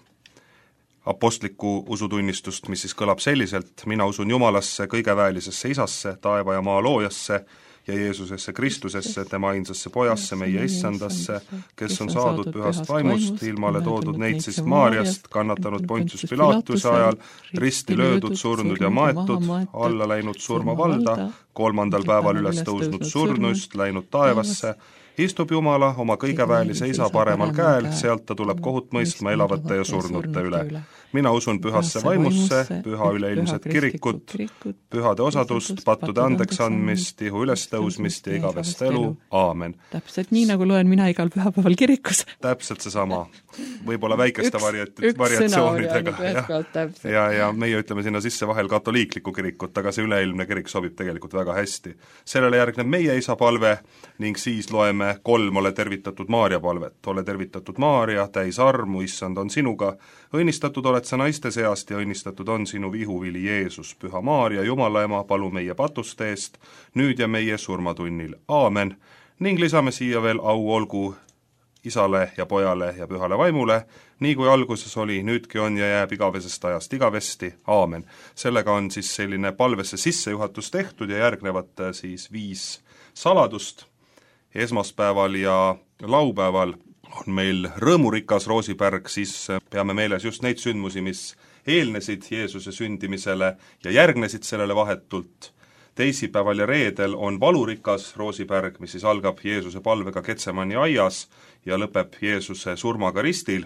apostlikku usutunnistust, mis siis kõlab selliselt: mina usun Jumalasse, kõigeväelisesse Isasse, taeva ja maa loojasse ja Jeesusesse Kristusesse, tema ainsasse pojasse, meie issandasse, kes on saadud pühast vaimust, ilmale toodud neitsist Maarjast, kannatanud Pontius Pilatuse ajal, risti löödud, surnud ja maetud, alla läinud surmavalda, 3. päeval üles tõusnud surnuist, läinud taevasse, istub Jumala oma kõigeväelise Isa paremal käel, sealt ta tuleb kohut mõistma elavate ja surnute üle. Mina usun pühasse vaimusse, püha üleilmset kirikut, pühade osadust, pattude andeks andmist, ihu ülestõusmist ja igavest elu. Aamen. Täpselt nii, nagu loen mina igal pühapäeval kirikus. Täpselt see sama. Võib-olla väikeste variatsioonidega. Ja meie ütleme sinna sisse vahel katoliiklikku kirikut, aga see üleilmne kirik sobib tegelikult väga hästi. Sellele järgneb meie Isa palve ning siis loeme 3 ole tervitatud Maarja palvet. Ole tervitatud Maarja, täis armu, issand on sinuga. Õnnistatud oled sa naiste seast ja õnnistatud on sinu vihuvili Jeesus. Püha Maarja, Jumala ema, palu meie patuste eest, nüüd ja meie surmatunnil. Aamen. Ning lisame siia veel au olgu Isale ja pojale ja pühale vaimule, nii kui alguses oli, nüüdki on ja jääb igavesest ajast igavesti. Aamen. Sellega on siis selline palvesse sissejuhatus tehtud ja järgnevad siis 5 saladust. Esmaspäeval ja laupäeval on meil rõõmurikas Roosipärg, siis peame meeles just neid sündmusi, mis eelnesid Jeesuse sündimisele ja järgnesid sellele vahetult. Teisipäeval ja reedel on valurikas Roosipärg, mis siis algab Jeesuse palvega Getsemani aias ja lõpeb Jeesuse surmaga ristil.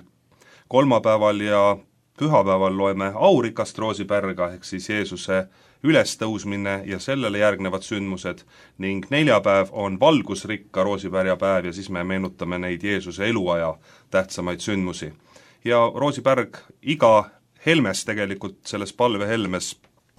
Kolmapäeval ja pühapäeval loeme aurikast Roosipärga, ehk siis Jeesuse ülestõusmine ja sellele järgnevad sündmused ning neljapäev on valgusrikka Roosipärja päev ja siis me meenutame neid Jeesuse eluaja tähtsamaid sündmusi. Ja Roosipärg iga helmes tegelikult selles palvehelmes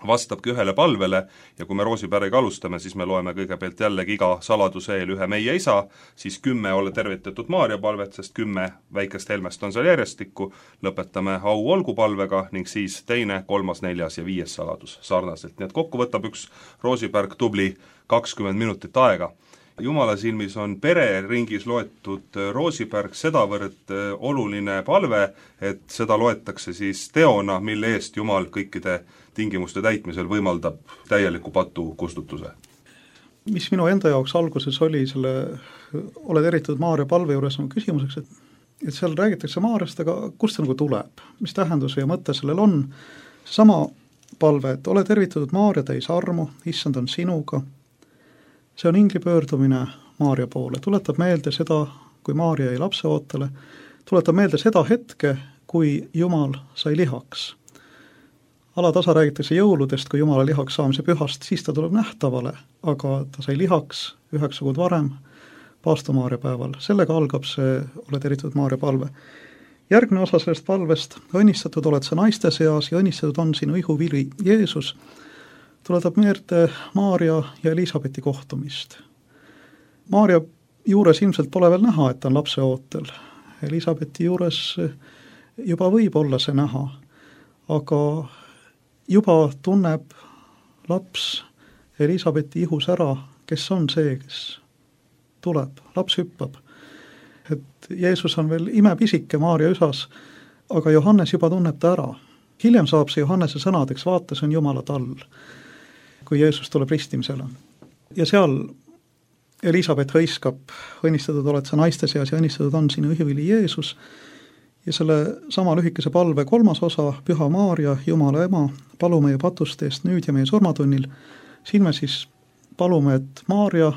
vastabki ühele palvele ja kui me Roosipärgiga alustame, siis me loeme kõigepealt jällegi iga saladuse eel ühe meie Isa, siis 10 ole tervitatud Maarja palvet, sest 10 väikest helmest on seal järjestikku, lõpetame au olgu palvega ning siis 2., 3., 4. ja 5. saladus sarnaselt. Nii et kokku võtab üks Roosipärg tubli 20 minutit aega. Jumala silmis on pereringis loetud Roosipärg sedavõrd oluline palve, et seda loetakse siis teona, mille eest Jumal kõikide tingimuste täitmisel võimaldab täieliku patu kustutuse. Mis minu enda jaoks alguses oli selle ole tervitatud Maarja palve juures on küsimuseks, et seal räägitakse Maarjast, aga kust see nagu tuleb? Mis tähendus ja mõte sellel on? Sama palve, et ole tervitatud Maarja, täis armu, issand on sinuga. See on ingli pöördumine Maarja poole, tuletab meelde seda, kui Maarja jäi lapseootele, tuletab meelde seda hetke, kui Jumal sai lihaks. Alatasa räägitakse jõuludest, kui Jumala lihaks saamise pühast, siis ta tuleb nähtavale, aga ta sai lihaks 9 kuud varem, Paastu Maarja päeval. Sellega algab see Ole teritud Maarja palve. Järgmine osa sellest palvest, õnnistatud oled sa naiste seas ja õnnistatud on sinu ihuvili Jeesus, tuletab meelde Maarja ja Elisabethi kohtumist. Maarja juures ilmselt pole veel näha, et ta on lapseootel. Elisabethi juures juba võib olla see näha, aga juba tunneb laps Elisabethi ihus ära, kes on see, kes tuleb, laps hüppab. Et Jeesus on veel imepisike Maarja üsas, aga Johannes juba tunneb ta ära. Hiljem saab see Johannese sõnadeks, vaata, see on Jumala tall, kui Jeesus tuleb ristimisele. Ja seal Elisabeth hõiskab, õnnistatud oled sa naiste seas ja õnnistatud on sinu ihuvili Jeesus. Ja selle sama lühikese palve 3. osa, Püha Maarja, Jumala ema, palu meie patuste eest nüüd ja meie surmatunnil. Siin me siis palume, et Maarja,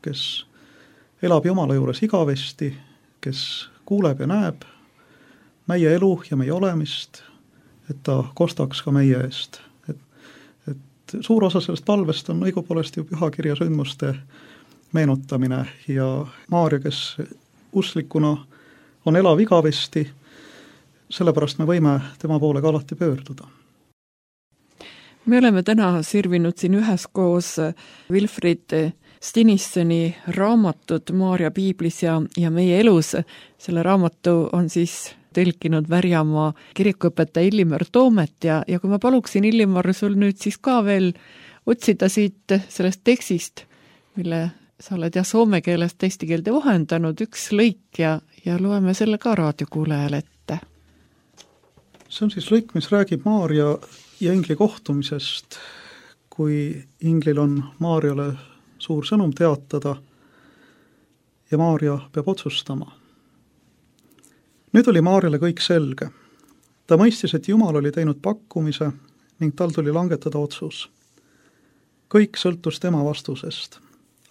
kes elab Jumala juures igavesti, kes kuuleb ja näeb meie elu ja meie olemist, et ta kostaks ka meie eest. Et suur osa sellest palvest on õigupoolest ju pühakirja sündmuste meenutamine ja Maarja, kes usklikuna on elav igavesti, sellepärast me võime tema poole ka alati pöörduda. Me oleme täna sirvinud siin üheskoos Wilfrid Stinissoni raamatut Maarja piiblis ja meie elus. Selle raamatu on siis tõlkinud Märjamaa kirikuõpetaja Illimar Toomet ja kui ma paluksin, Illimar, sul nüüd siis ka veel otsida siit sellest tekstist, mille sa oled soome keelest eesti keelde vahendanud, üks lõik ja loeme selle ka raadiokuulajale ette. See on siis lõik, mis räägib Maarja ja ingli kohtumisest, kui inglil on Maarjale suur sõnum teatada ja Maarja peab otsustama. Nüüd oli Maarjale kõik selge. Ta mõistis, et Jumal oli teinud pakkumise ning tal tuli langetada otsus. Kõik sõltus tema vastusest.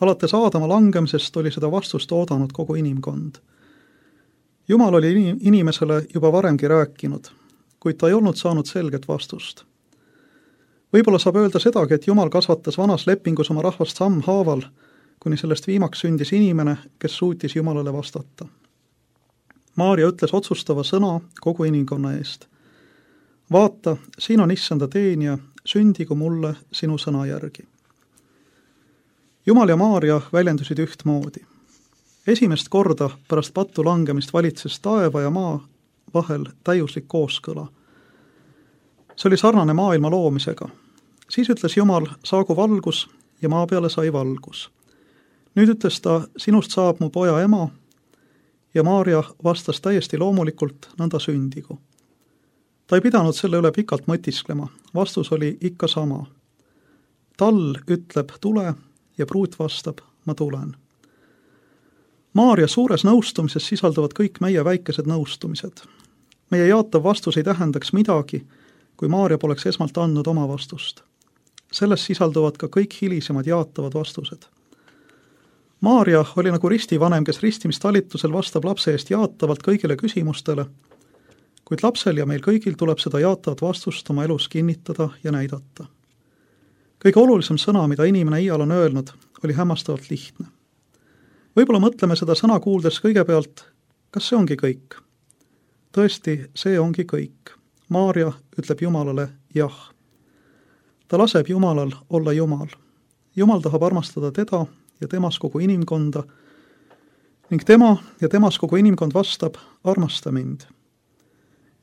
Alates Aadama langemisest oli seda vastust oodanud kogu inimkond. Jumal oli inimesele juba varemgi rääkinud, kuid ta ei olnud saanud selget vastust. Võib-olla saab öelda sedagi, et Jumal kasvatas vanas lepingus oma rahvast sammhaaval, kuni sellest viimaks sündis inimene, kes suutis Jumalale vastata. Maarja ütles otsustava sõna kogu inimkonna eest. Vaata, siin on issanda teenija, sündigu mulle sinu sõna järgi. Jumal ja Maarja väljendusid ühtmoodi. Esimest korda pärast pattu langemist valitses taeva ja maa vahel täiuslik kooskõla. See oli sarnane maailma loomisega. Siis ütles Jumal, saagu valgus ja maa peale sai valgus. Nüüd ütles ta, sinust saab mu poja ema ja Maarja vastas täiesti loomulikult nõnda sündigu. Ta ei pidanud selle üle pikalt mõtisklema, vastus oli ikka sama. Tall ütleb tule ja pruut vastab, ma tulen. Maarja suures nõustumises sisalduvad kõik meie väikesed nõustumised. Meie jaatav vastus ei tähendaks midagi, kui Maarja poleks esmalt andnud oma vastust. Selles sisalduvad ka kõik hilisemad jaatavad vastused. Maarja oli nagu ristivanem, kes ristimistalitusel vastab lapse eest jaatavalt kõigile küsimustele, kuid lapsel ja meil kõigil tuleb seda jaatavat vastust oma elus kinnitada ja näidata. Kõige olulisem sõna, mida inimene iial on öelnud, oli hämmastavalt lihtne. Võib-olla mõtleme seda sõna kuuldes kõigepealt, kas see ongi kõik? Tõesti, see ongi kõik. Maarja ütleb Jumalale jah. Ta laseb Jumalal olla Jumal. Jumal tahab armastada teda ja temas kogu inimkonda ning tema ja temas kogu inimkond vastab, armasta mind.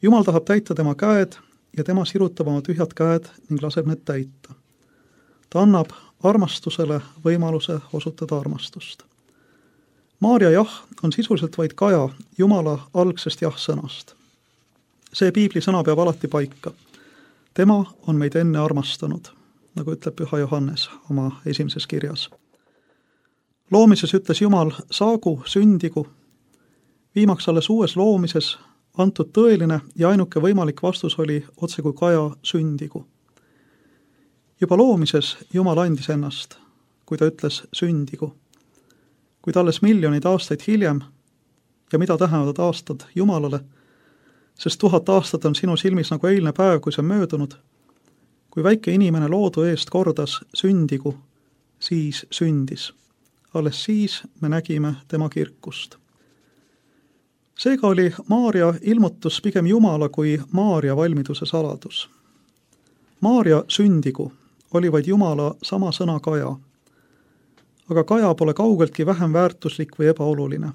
Jumal tahab täita tema käed ja tema sirutab oma tühjad käed ning laseb need täita. Ta annab armastusele võimaluse osutada armastust. Maarja jah on sisuliselt vaid kaja Jumala algsest jah-sõnast. See piibli sõna peab alati paika. Tema on meid enne armastanud, nagu ütleb Püha Johannes oma esimeses kirjas. Loomises ütles Jumal, saagu, sündigu. Viimaks alles uues loomises antud tõeline ja ainuke võimalik vastus oli otse kui kaja sündigu. Juba loomises Jumal andis ennast, kui ta ütles sündigu. kuid alles miljoneid aastaid hiljem ja mida tähendavad aastad Jumalale, sest 1000 aastat on sinu silmis nagu eilne päev, kui see on möödunud. Kui väike inimene loodu eest kordas sündigu, siis sündis. Alles siis me nägime tema kirkust. Seega oli Maarja ilmutus pigem Jumala kui Maarja valmiduse saladus. Maarja sündigu oli vaid Jumala sama sõna kaja. Aga kaja pole kaugeltki vähem väärtuslik või ebaoluline.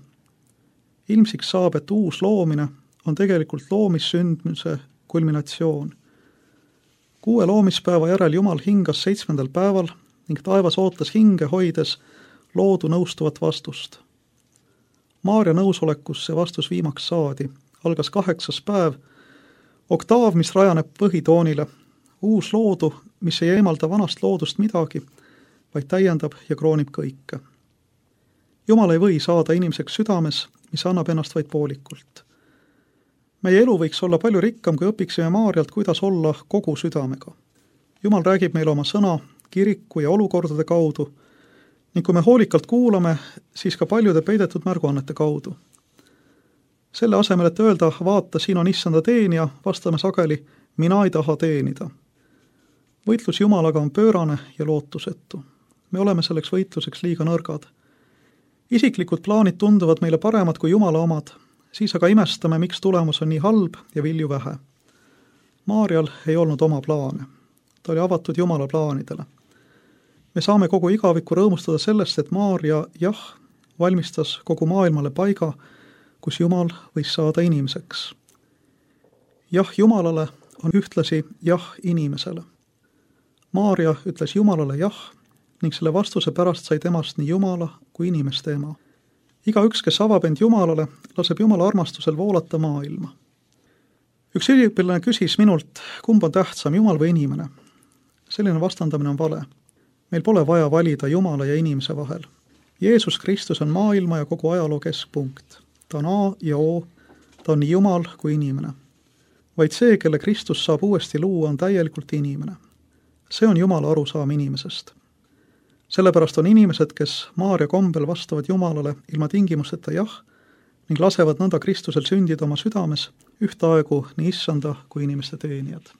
Ilmsiks saab, et uus loomine on tegelikult loomissündmuse kulminatsioon. 6 loomispäeva järel Jumal hingas 7. päeval ning taevas ootas hinge hoides loodu nõustuvat vastust. Maarja nõusolekus see vastus viimaks saadi. Algas 8. päev, oktaav, mis rajaneb põhitoonile, uus loodu, mis ei eemalda vanast loodust midagi, vaid täiendab ja kroonib kõike. Jumal ei või saada inimeseks südames, mis annab ennast vaid poolikult. Meie elu võiks olla palju rikkam, kui õpiksime Maarjalt, kuidas olla kogu südamega. Jumal räägib meile oma sõna, kiriku ja olukordade kaudu ning kui me hoolikalt kuulame, siis ka paljude peidetud märguannete kaudu. Selle asemel, et öelda, vaata, siin on issanda teenija, vastame sageli, mina ei taha teenida. Võitlus Jumalaga on pöörane ja lootusetu. Me oleme selleks võitluseks liiga nõrgad. Isiklikud plaanid tunduvad meile paremad kui Jumala omad, siis aga imestame, miks tulemus on nii halb ja vilju vähe. Maarjal ei olnud oma plaane. Ta oli avatud Jumala plaanidele. Me saame kogu igavikku rõõmustada sellest, et Maarja, valmistas kogu maailmale paiga, kus Jumal võis saada inimeseks. Jah Jumalale on ühtlasi jah inimesele. Maarja ütles Jumalale jah ning selle vastuse pärast sai temast nii Jumala kui inimeste ema. Igaüks, kes avab end Jumalale, laseb Jumala armastusel voolata maailma. Üks üliõpilane küsis minult, kumb on tähtsam, Jumal või inimene. Selline vastandamine on vale. Meil pole vaja valida Jumala ja inimese vahel. Jeesus Kristus on maailma ja kogu ajaloo keskpunkt. Ta on A ja O, ta on nii Jumal kui inimene. Vaid see, kelle Kristus saab uuesti luua, on täielikult inimene. See on Jumala arusaam inimesest. Sellepärast on inimesed, kes Maarja kombel vastavad Jumalale ilma tingimusteta jah ning lasevad nõnda Kristusel sündida oma südames ühtaegu nii issanda kui inimeste teenijad.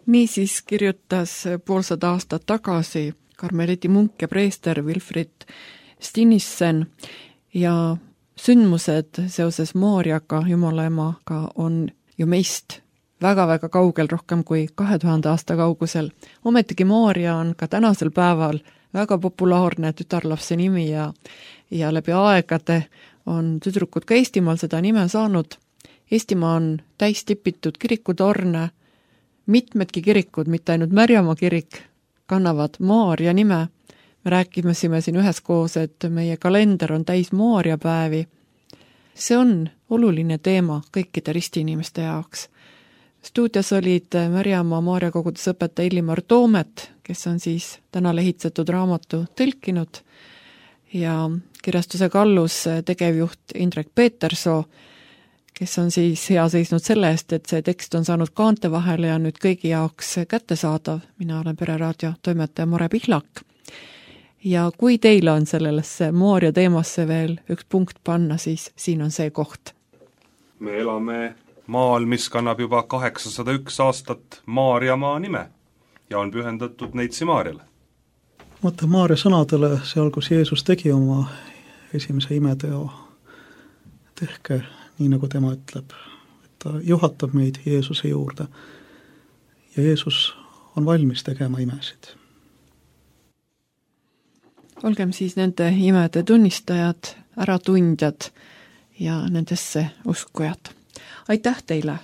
Niisiis kirjutas 500 aastat tagasi karmeliti munk ja preester Wilfrid Stinnisen ja sündmused seoses Maarjaga, Jumala emaga, on ju meist väga-väga kaugel, rohkem kui 2000 aasta kaugusel. Ometigi Maarja on ka tänasel päeval väga populaarne tütarlapse nimi ja läbi aegade on tüdrukud ka Eestimaal seda nime saanud. Eestimaa on täis tipitud kirikutorne, mitmedki kirikud, mitte ainult Märjamaa kirik, kannavad Maarja nime. Me rääkimesime siin üheskoos, et meie kalender on täis Maarja päevi. See on oluline teema kõikide ristiinimeste jaoks. Stuudios olid Märjamaa Maarja koguduse õpetaja Illimar Toomet, kes on siis täna lehitsetud raamatu tõlkinud, ja kirjastuse Kallus tegevjuht Indrek Petersoo, kes on siis hea seisnud selle eest, et see tekst on saanud kaante vahele ja nüüd kõigi jaoks kättesaadav. Mina olen Pereraadio toimetaja Mare Pihlak. Ja kui teil on sellesse Maarja teemasse veel üks punkt panna, siis siin on see koht. Me elame maal, mis kannab juba 801 aastat Maarjamaa nime ja on pühendatud neitsi Maarjale. Mõtle Maarja sõnadele seal, kus Jeesus tegi oma esimese imeteo. Tehke nii, nagu tema ütleb, et ta juhatab meid Jeesuse juurde ja Jeesus on valmis tegema imesid. Olgem siis nende imede tunnistajad, äratundjad ja nendesse uskujad. Aitäh teile!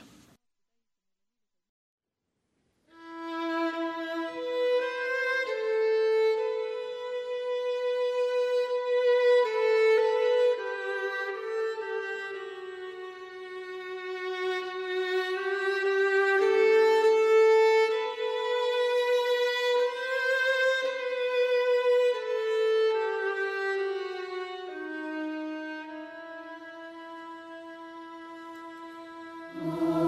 Oh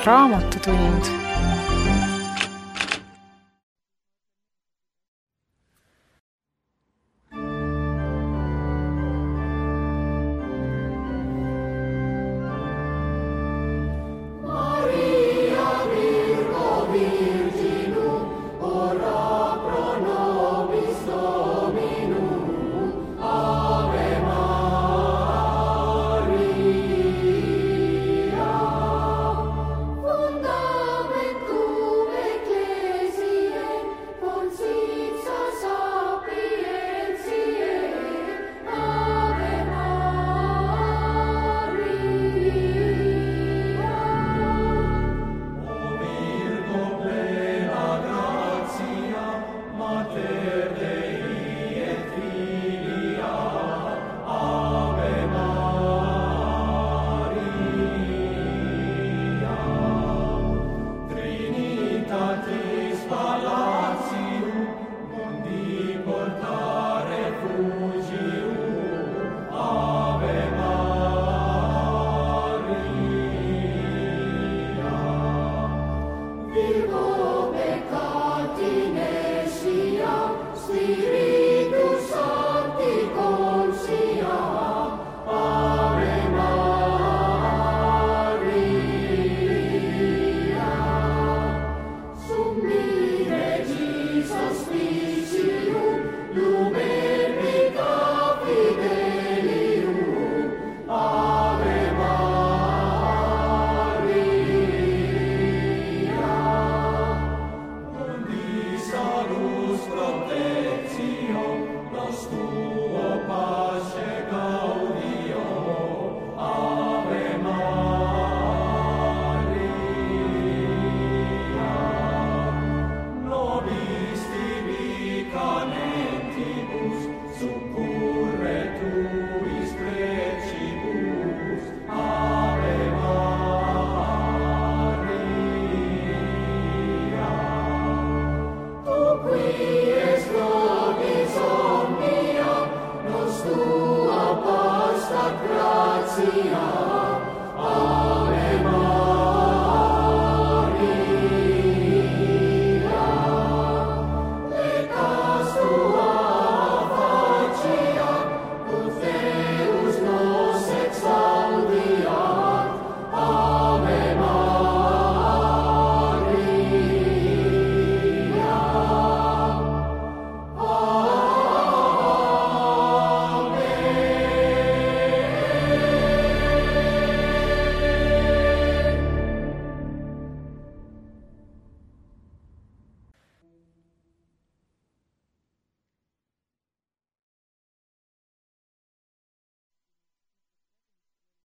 Raamatutund